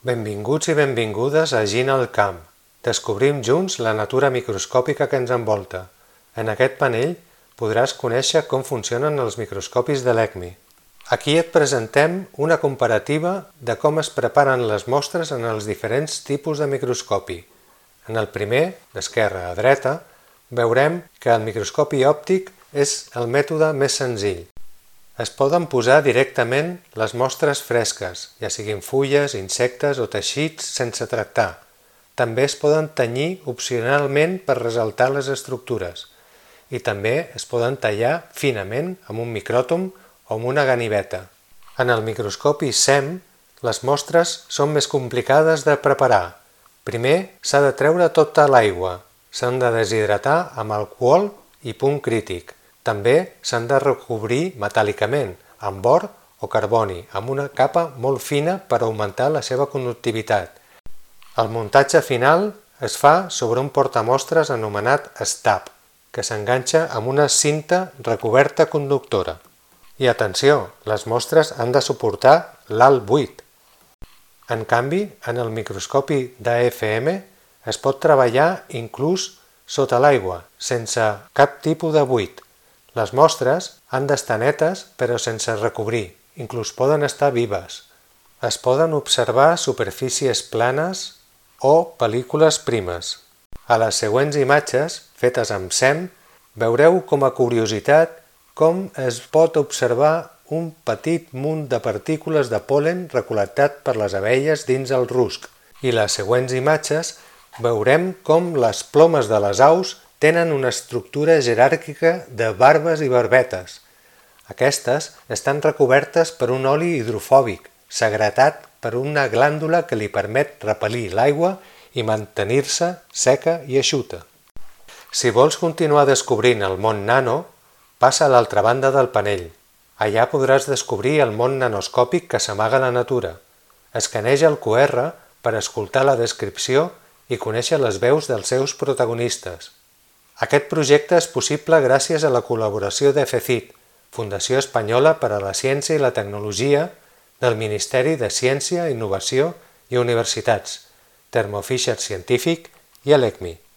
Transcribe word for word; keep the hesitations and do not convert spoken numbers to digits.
Benvinguts i benvingudes a Gina al camp. Descobrim junts la natura microscòpica que ens envolta. En aquest panell podràs conèixer com funcionen els microscopis de l'E C M I. Aquí et presentem una comparativa de com es preparen les mostres en els diferents tipus de microscopi. En el primer, d'esquerra a dreta, veurem que el microscopi òptic és el mètode més senzill. Es poden posar directament les mostres fresques, ja siguin fulles, insectes o teixits sense tractar. També es poden tenyir opcionalment per ressaltar les estructures. I també es poden tallar finament amb un micròtom o amb una ganiveta. En el microscopi S E M, les mostres són més complicades de preparar. Primer s'ha de treure tota l'aigua. S'han de deshidratar amb alcohol i punt crític. També s'han de recobrir metàl·licament, amb or o carboni, amb una capa molt fina per augmentar la seva conductivitat. El muntatge final es fa sobre un portamostres anomenat stab, que s'enganxa amb una cinta recoberta conductora. I atenció, les mostres han de suportar l'alt buit. En canvi, en el microscopi d'A F M es pot treballar inclús sota l'aigua, sense cap tipus de buit. Les mostres han d'estar netes però sense recobrir, inclús poden estar vives. Es poden observar superfícies planes o pel·lícules primes. A les següents imatges, fetes amb S E M, veureu com a curiositat com es pot observar un petit munt de partícules de pol·len recol·lectat per les abelles dins el rusc. I les següents imatges veurem com les plomes de les aus tenen una estructura jeràrquica de barbes i barbetes. Aquestes estan recobertes per un oli hidrofòbic, secretat per una glàndula que li permet repel·lir l'aigua i mantenir-se seca i eixuta. Si vols continuar descobrint el món nano, passa a l'altra banda del panell. Allà podràs descobrir el món nanoscòpic que s'amaga a la natura. Escaneja el Q R per escoltar la descripció i conèixer les veus dels seus protagonistes. Aquest projecte és possible gràcies a la col·laboració d'E F C I T, Fundació Espanyola per a la Ciència i la Tecnologia, del Ministeri de Ciència, Innovació i Universitats, Thermo Fisher Scientific i l'E C M I.